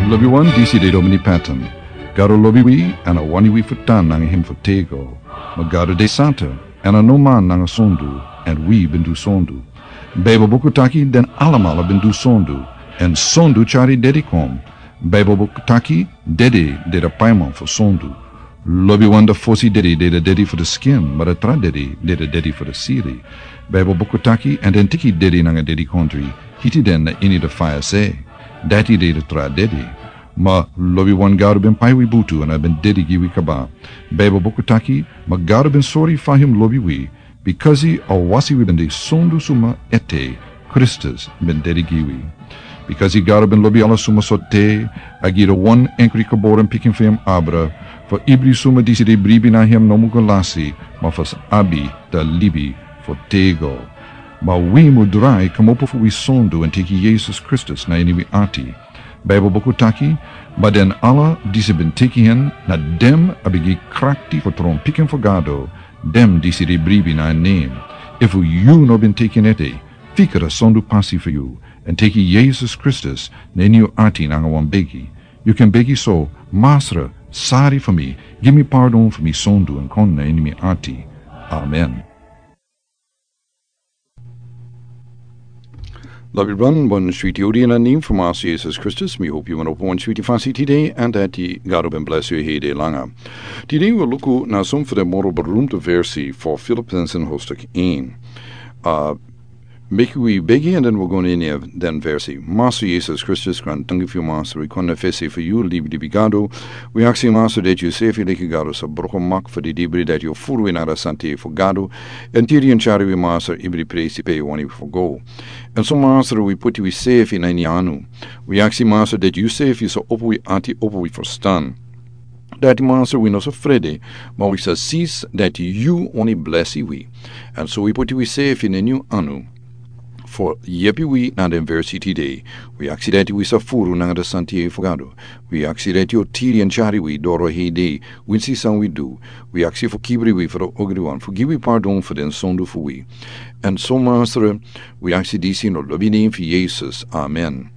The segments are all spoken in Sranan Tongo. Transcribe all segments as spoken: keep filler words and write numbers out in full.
Lobi wan, disi de Domini Patton. Gado lobi wi, èn a wani wi fu tan nanga hem fu tego. Ma Gado de santa, èn a no man nanga sondu, èn wi ben du sondu. Baibel buku taki den alamala ben du sondu, èn sondu tyari dede kon. Baibel buku taki dede de da paiman fu sondu. Lobi wan, da fosi dede de da dede fu da skin, ma da tra dede de da dede fu da siri. Baibel buku taki, èn den tiki dede nanga dede kondre, hiti den na ini da faya se. Dati de da tra dede. Ma lobi wan, Gado ben pai wi butu èn a ben dede gi wi kaba. Baibel buku taki, ma Gado ben sori fa hem lobi wi, bikasi a wasi wi ben de sondu suma ete, Kristus ben dede gi wi. Bikasi Gado ben lobi ala suma sortu, a gi da wan enkri geboren pikin fu hem abra, fu ibri suma disi de bribi na hem no mu go lasi, ma fu sa abi da libi fu tego. Ma wi mu drai kmopo fu wi sondu èn teki Yesus Kristus na ini wi ati. Baibel buku taki, ma den ala disi ben teki hen, na den a ben gi krakti fu tron pikin fu Gado, den disi de bribi na en nen. Efu yu no ben teki en ete, fika da sondu pasi fu yu, èn teki Yesus Kristus na ini yu ati nanga wan begi. Yu kan begi so: Masra, sari fu mi, gi mi pardon fu mi sondu èn kon na ini mi ati. Amen. Lobi wan, bun switi odi na nen fu Masra Yesus Kristus, mi hopi yu man opo wan switi fasi tide, èn dati Gado ben blesi yu hede langa. Tide wi luku na son fu da moro berumte versi fu Filippenzen hoofdstuk een. A, meki wi begi èn den wi go na ini den versi. Masra Yesus Kristus, grantangi fu yu Masra, wi kon na fesi fu yu, libi, libi Gado. Wi aksi Masra dati yu sefi leki Gado sa broko mak fu di dibri dati yu furu wi na da santei fu Gado. Èn tiri èn tyari wi Masra ibri presi pe yu wani fu go. Èn so Masra wi puti wi sefi na ini anu. Wi aksi Masra dati yu sefi sa opo wi ati, opo wi ferstan. Dati Masra wi no sa frede, ma wi sa si dati yu wani blesi wi. Èn so wi puti wi sefi na ini yu anu. Fu yepi wi na den versi tide. Wi aksi dati wi sa furu nanga da santei fu Gado. Wi aksi dati yu tiri èn tyari wi doro hede, winsi san wi du. Wi aksi fu kibri wi fu da ogri wan, fu gi wi pardon fu den sondu fu wi. Èn so Masra, wi aksi disi na lobi nen fu Yesus. Amen.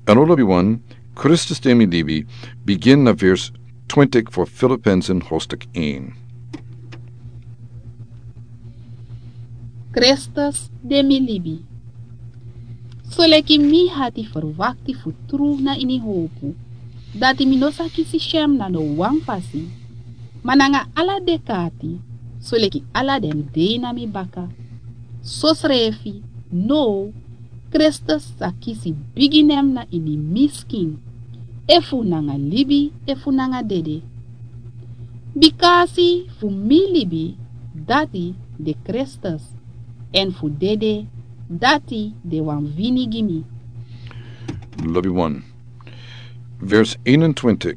Èn o lobi wan, Kristus de mi libi, bigin na vers twintig fu Filippenzen hoofdstuk een. Kristus de mi libi. Soleki mi hati ferwakti fu tru na ini hopu, dati mi no sa kisi syem na no wan fasi, ma nanga ala dek'ati, soleki ala den dei na mi baka. Sosrefi, now, Kristus sa kisi bigi nen na ini mi skin, efu nanga libi, efu nanga dede. Bikasi fu mi libi, dati de Kristus, èn fu dede, dati de wan wini gi mi. Lobi wan. Vers eenentwintig.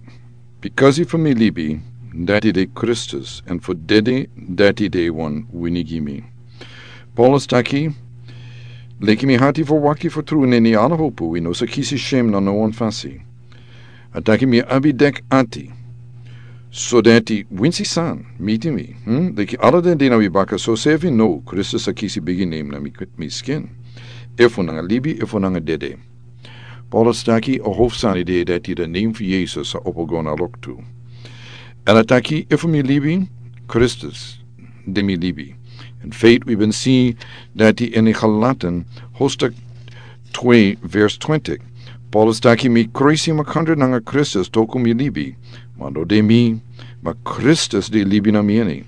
Bikasi fu mi libi, dati de Kristus, èn fu dede, dati de wan wini gi mi. Paulus taki, leki mi hati ferwakti fu tru na ini ala hopu, wi no sa kisi syem na no wan fasi. A taki mi abi dek'ati. So dati winsi san miti mi, hm? Leki ala den dei na mi baka, sosrefi now, Kristus sa kisi bigi nen na mi, mi skin. Efu nanga libi, efu nanga dede. Paulus taki a hofsani de dati da nen fu Yesus sa opo go na loktu. Èn a taki efu mi libi, Kristus de mi libi. In feite, wi ben si dati ini Galaten, hoofdstuk twee, vers twintig. Paulus taki mi kruisi makandra nanga Kristus, toku mi libi. Ma no de mi, ma Kristus di libi na mi ini.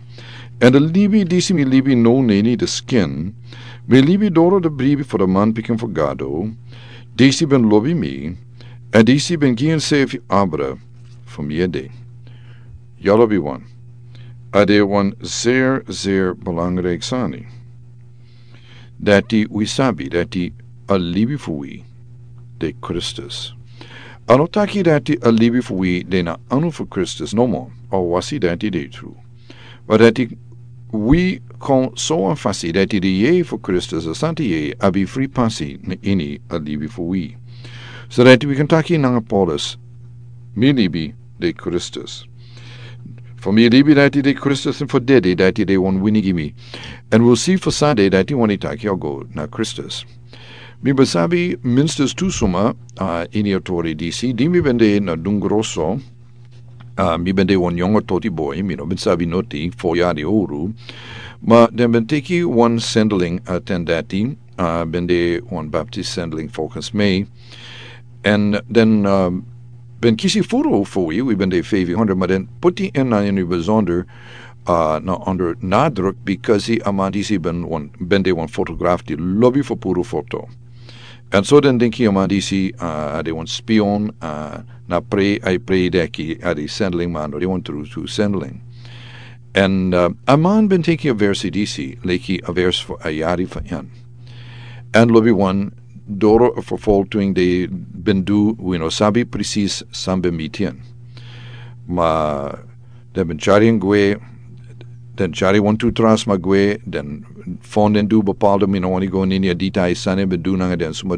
Èn da libi disi mi libi now na ini da skin, mi libi doro da bribi fu da manpikin fu Gado, disi ben lobi mi, èn disi ben gi ensefi abra fu mi ede. Ya lobi wan. A de wan zeer, zeer belangrijk sani. Dati wi sabi, dati a libi fu wi de Kristus. A no taki dati a libi fu wi de na anu fu Kristus nomo, a wasi dati de tru. Ma dati wi kon so wan fasi dati di yeye fu Kristus, a santa yeye, abi fri pasi na ini a libi fu wi. So dati wi kan taki nanga Paulus, mi libi de Kristus. Fu mi libi dati de Kristus, èn fu dede dati de wan wini gi mi. Èn wi si fu san de dati wani taki a go na Kristus. Mi ben sabi minstens tu suma, uh, ini a tori disi di mi ben de na dungroso. Uh, mi ben de wan yongo toti boi, mi no ben sabi noti fo yari oru. Ma den ben teki wan sendling, uh, ten dati, uh, ben de wan baptist sendling fokus mei. En den, uh, ben kisi furu fo wi wi ben de fifty hundred, ma den puti en na ini bezonder, uh, na onder nadruk, because a man disi ben wan ben de wan fotograf di lobi fo puru foto. En so den dinki a man disi, uh, a de wan spion, uh, na pre ai pre deki a de sendling man no de wan tru tu sendling. En, uh, a man ben teki a versi disi leki a vers fo a yari fo en. En lobi wan doro fo fol tuing de ben du wi no sabi presis san ben miti en. Ma den ben cari en gwe, den cari wan tu tras ma gwe, den fon den du bepalde mi no wani go nini a dita i san en ben du nanga den suma.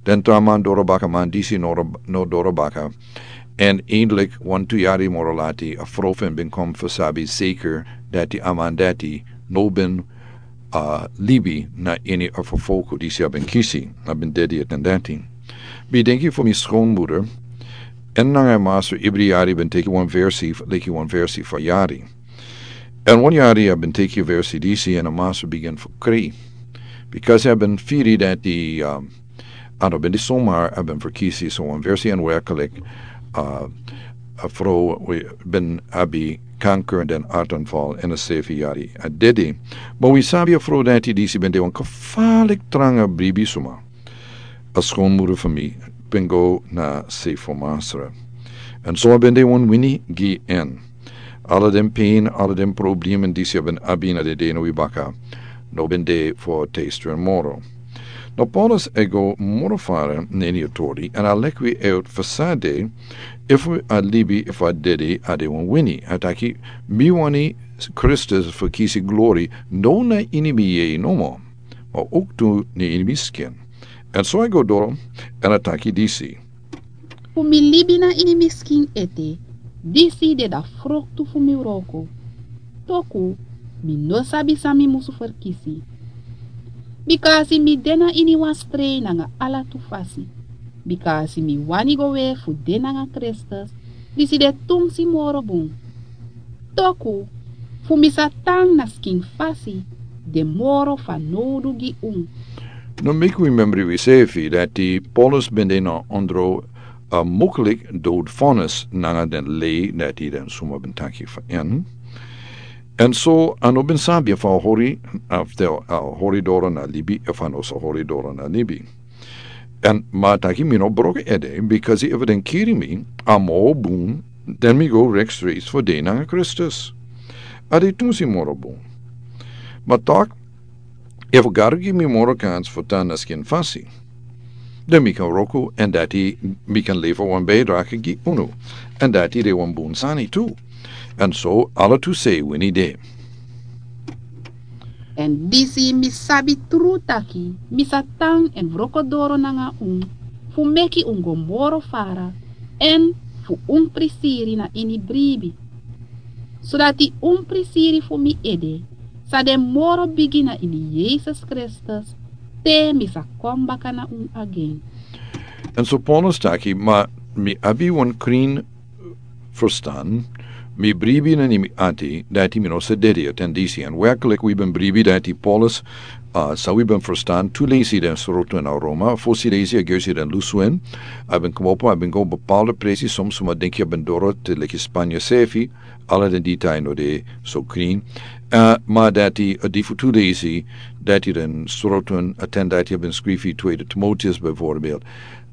Den tra man doro baka man disi no doro baka. En eindelijk wan tu yari moro lati a frofen ben kom fo sabi zeker dati a man dati no ben, uh, libi na ini a fofoko disi a ben kisi a ben dedi a ten dati. Mi denki fo mi skonmuder, en nanga a master ibri yari ben teki wan versi leki wan versi fo yari. En wan yari a ben teki a versi disi en a master bigin fo kri. Because a ben firi dati, um, a no ben di somar a ben fo kisi so wan versi en werkelijk, uh, a fro wi ben abi kanker den artanval en a sefi yari a dedi. Ma wi sabi a fro dati disi ben de wan kafalik tranga bribi suma. A skonmuder fo mi ben go na sefo masra. En so a ben de wan wini gi en. Ala den pain ala den problemen disi a ben abi na de de no wi baka no ben de fo teister en moro. No paulus e go moro fara na ini a tori en a leki wi e ot fo sade, efu a libi efu a dedi a de wan wini a taki, mi wani kristus fo kisi glori no na ini mi yei nomo, ma uk tu na ini mi skin. En so a go doro en a taki disi. Fu mi libi na ini mi skin ete, disi de da froktu fu mi wroko. Toku mi no sabi san mi musu ferkisi. Bika a si mi de na ini wan strei nanga ala tu fasi. Bika a si mi wani go we fu de nanga kristus, disi de tungsi moro bun. Toku fu mi sa tan na skin fasi de moro fanowdu gi un. No meki wi memri wi sefi dati paulus ben de na ondro a muklik dodfonnis nanga den lei dati den suma ben taki fo en. En so a no ben sabi efu a hori, efu a hori doro na libi efu a no sa hori doro na libi. En ma taki mi no broko ede bikasi efu den kiri mi a mo bun, den mi go rek streis fo de nanga kristus. A de tunsi moro bun. Ma tak efu gado gi mi moro kans fo tan na skin fasi, den mi kan wroko en dati mi kan lefa wan beidrake gi unu. En dati de wan bun sani tu. En so ala tu sei wini de. En disi mi sabi tru taki mi sa tan en wroko doro nanga un, fu meki un go moro fara, en fu un prisiri na ini bribi, sodati un prisiri fu mi ede sa de moro bigi na ini yesus kristus, te mi sa kon baka na un agen. En so paulus taki ma mi abi wan krin, ferstan, mi bribi na ini mi ati dati mi no sa dedi a ten disi en werklik wi ben bribi dati paulus, uh, sa wi ben ferstan tu lesi den sroto na roma fosi lesi a gersi den lusu en. A ben komopo a ben go bepalde presi som suma denki a ben doro te leki spanya sefi. Ala den dita no de so krin. Uh, ma dati a difu tu lesi dati den sroto a ten dati a ben skrifi tweede timoteus bijvoorbeeld.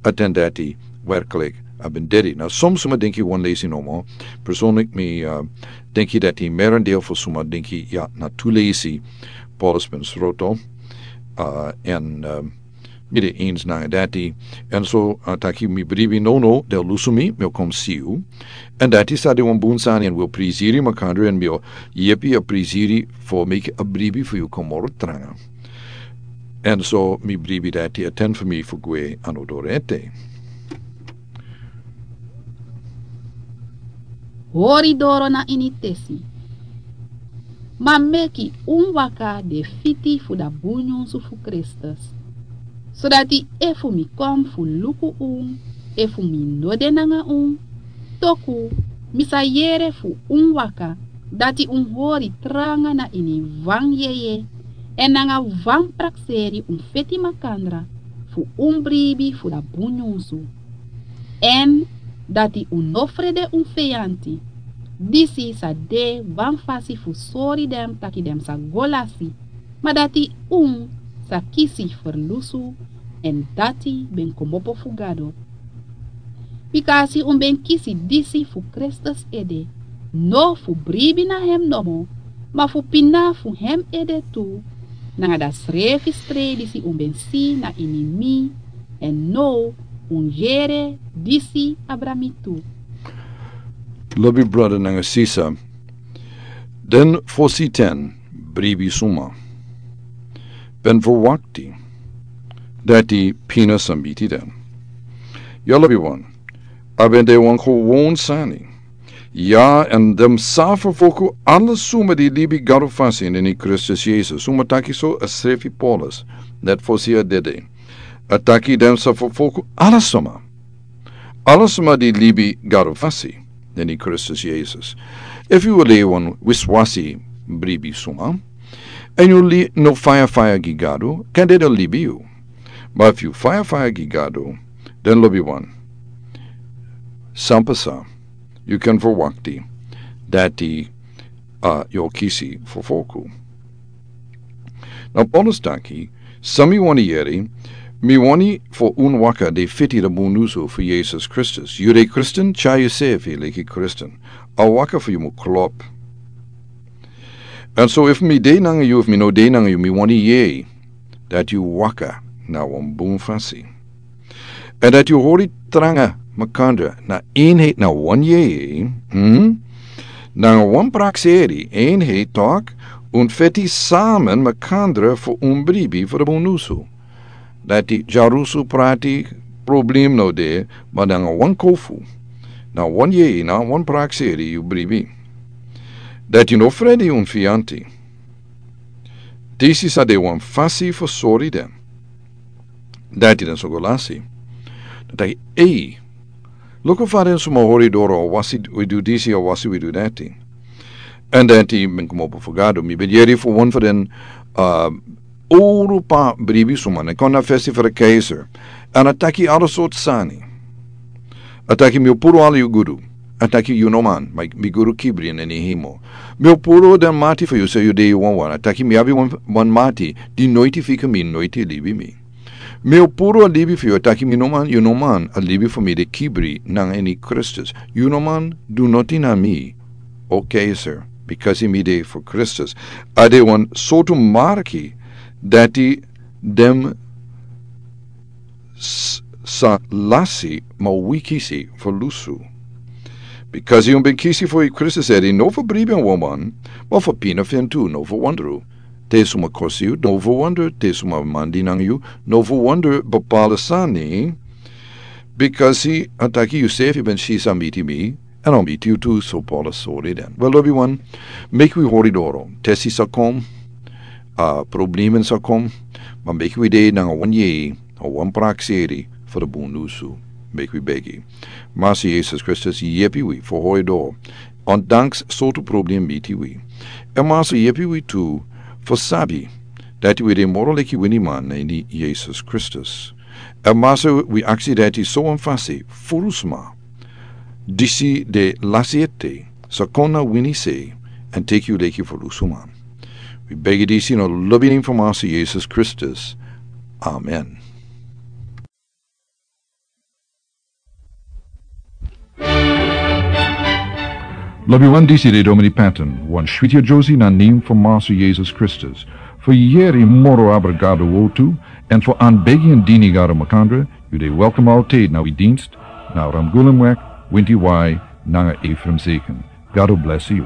A ten dati werklik a ben dedi na som suma denki wan lesi nomo. Personlik mi, uh, denki dati merendeel fo suma denki ya na tu lesi paulus ben sroto, uh, en, uh, mi de eens nanga dati. En so, uh, taki mi bribi no no del lusu mi mi o kom siu. En dati sa de wan bun sani en wil prisiri makandri en mi o yepi a prisiri fo meki a bribi fu yu komoro tranga. En so mi bribi dati a ten fu mi fu gwe ano doro ete. Hori doro na ini tesi. Ma meki un waka de fiti fu da bunyunsu fu kristus. Sodati efu mi kon fu luku un, efu mi no de nanga un, toku mi sa yere fu un waka, dati un hori tranga na ini wan yeye, èn nanga wan prakseri un feti makandra fu un bribi fu da bun nyunsu. Èn dati un no frede un feyanti. Disi sa de wan fasi fu sori den taki den sa go lasi, ma dati un sa kisi ferlusu, èn dati ben kmopo fu Gado. Bika a si un ben kisi disi fu Kristus ede, no fu bribi na hem nomo, ma fu pina fu hem ede tu, nanga da srefi strei disi un ben si na ini mi, èn now un yere disi abra mi tu. Lobi brada nanga sisa, den fosi ten bribi suma ben verwakti dati pina sa miti den. Ya, lobi wan, a ben de wan gewon sani. Ya, èn den sa ferfoku ala suma di libi Gado fasi ini Kristus Yesus. Suma taki so? A srefi Paulus, net fosi a dede. A taki den sa ferfoku ala suma. Ala suma di libi Gado fasi ini Kristus Yesus. Efu yu e libi wan wiswasi bribi suma, èn yu no faya faya gi Gado, kande den libi yu. Ma efu yu faya faya gi Gado, den lobi wan, san pasa, yu kan verwakti dati, a, yu o kisi ferfoku. Now Paulus taki, san mi wani yere, mi wani fu un waka de feti da bun nyunsu fu Yesus Kristus. Yu de Kristin, tyari yusrefi leki Kristin. A waka fu yu mu klop. Èn so efu mi de nanga yu, efu mi no de nanga yu, mi wani yere dati yu waka na wan bun fasi. Èn dati yu hori tranga makandra na eenheid, na wan yeye, hm? Nanga wan prakseri, eenheid, tok, un feti samen makandra fu un bribi fu da bun nyunsu. Dati dyarusu prati, problem no de, ma nanga wan kofu, na wan yeye, na wan prakseri yu bribi. Dati yu no frede un feyanti. Disi sa de wan fasi fu sori den. Dati den sa go lasi. Dan taki, ei, luku fa den suma hori doro, a wasi wi du disi, a wasi wi du dati. Èn dati ben kmopo fu Gado. Mi ben yere fu wan fu den, a, owru pa bribi suma, ne kon na fesi fu da keizer. Èn a taki ala sortu sani. A taki mi o puru ala yu gudu. A taki yu no man, ma mi gudu kibri na ini hemel. Mi o puru den mati fu yu, so yu de yu wawan. A taki mi abi wan, wan mati di noiti fika mi, noiti libi mi. Mi o puru a libi fu yu, a taki mi no man, yu no man, a libi fu mi de kibri nanga ini Kristus. Yu no man du noti na mi, o keizer, bikasi mi de fu Kristus. A de wan sortu marki dati den s-, sa lasi, ma wi kisi ferlusu. Bikasi un ben kisi fu Kristus ede, no fu bribi wan man, ma fu pina fu en tu, no fu wondru te suma kosi yu, no fu wondru te suma mandi nanga yu, no fu wondru bepala sani, bikasi a taki yusrefi ben si san miti mi, èn a o miti yu tu, so Paulus sori den. Wel, lobi wan, meki wi hori doro. Tesi sa kon, a, problemen sa kon, ma meki wi de nanga wan yeye, nanga wan prakseri fu da bun nyunsu. Meki wi begi. Masi Yesus Kristus, yepi wi fu hori doro. Ondanks sortu problem miti wi. Èn Masi, yepi wi tu fu sabi dati wi de moro leki winiman na ini Yesus Kristus. Èn Masi, wi aksi dati so wan fasi furu suma disi de lasi ete sa kon na wini sei èn teki yu leki ferlusuman. Wi begi disi na lobi nen fu Masi Yesus Kristus. Amen. Lobi wan, disi de Domini Patton, wan switi yere na nen fu Masi Yesus Kristus. Fu yere moro abra Gado wortu, èn fu aanbegi èn dini Gado makandra, yu de welkom altijd na wi dienst, na Ramgulemweg, winti wai, nanga Ephraim Zeken. Gado blesi yu.